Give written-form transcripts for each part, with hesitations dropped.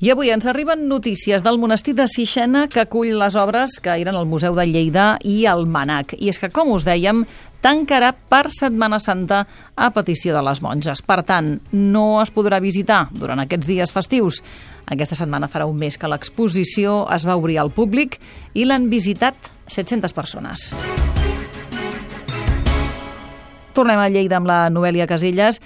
I avui ens arriben notícies del monestir de Sixena, que acull les obres que eren al Museu de Lleida i al MNAC. I és que, com us dèiem, tancarà per Setmana Santa a petició de les monges. Per tant, no es podrà visitar durant aquests dies festius. Aquesta setmana farà un mes que l'exposició es va obrir al públic i l'han visitat 700 persones. Tornem a Lleida amb la Noèlia Casellas.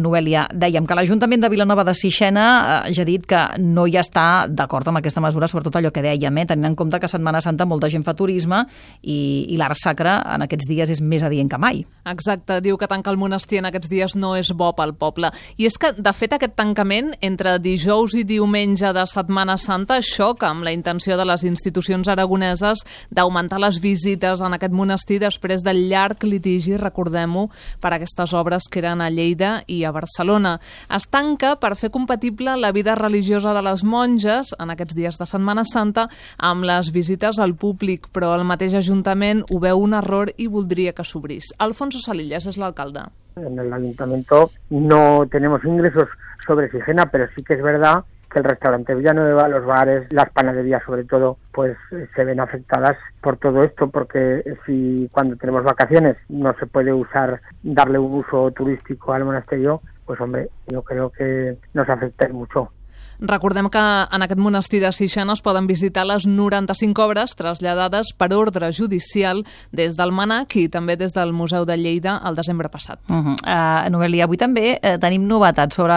Noèlia, dèiem que l'Ajuntament de Vilanova de Sixena ja ha dit que no hi està d'acord amb aquesta mesura, sobretot allò que dèiem, tenint en compte que a Setmana Santa molta gent fa turisme i l'art sacre en aquests dies és més adient que mai. Exacte, diu que tancar el monestir en aquests dies no és bo pel poble. I és que, de fet, aquest tancament entre dijous i diumenge de Setmana Santa xoca amb la intenció de les institucions aragoneses d'augmentar les visites en aquest monestir després del llarg litigi, recordem, per aquestes obres que eren a Lleida i a Barcelona. Es tanca per fer compatible la vida religiosa de les monges en aquests dies de Setmana Santa amb les visites al públic, però el mateix Ajuntament ho veu un error i voldria que s'obrís. Alfonso Salillas és l'alcalde. En el Ayuntamiento no tenemos ingresos sobre Sixena, pero sí que es verdad que el restaurante Villanueva, los bares, las panaderías sobre todo, pues se ven afectadas por todo esto, porque si cuando tenemos vacaciones no se puede darle un uso turístico al monasterio, pues hombre, yo creo que nos afecta mucho. Recordem que en aquest monestir de Sixena es poden visitar les 95 obres traslladades per ordre judicial des del MNAC i també des del Museu de Lleida el desembre passat. Noèlia, avui també tenim novetats sobre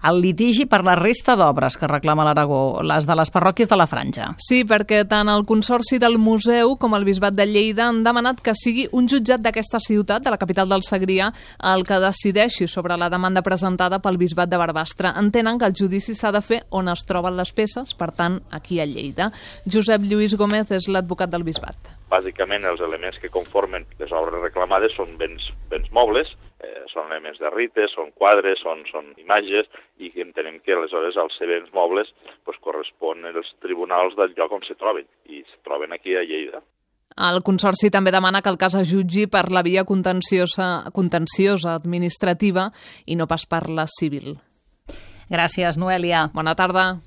el litigi per la resta d'obres que reclama l'Aragó, les de les parròquies de la Franja. Sí, perquè tant el Consorci del Museu com el Bisbat de Lleida han demanat que sigui un jutjat d'aquesta ciutat, de la capital del Segrià, el que decideixi sobre la demanda presentada pel Bisbat de Barbastre. Entenen que el judici s'ha de fer on es troben les peces, per tant, aquí a Lleida. Josep Lluís Gómez és l'advocat del Bisbat. Bàsicament, els elements que conformen les obres reclamades són béns mobles, són elements de rites, són quadres, són imatges, i entenem que aleshores els béns mobles corresponen als tribunals del lloc on se troben, i es troben aquí a Lleida. El Consorci també demana que el cas es jutgi per la via contenciosa administrativa i no pas per la civil. Gràcies, Noèlia. Bona tarda.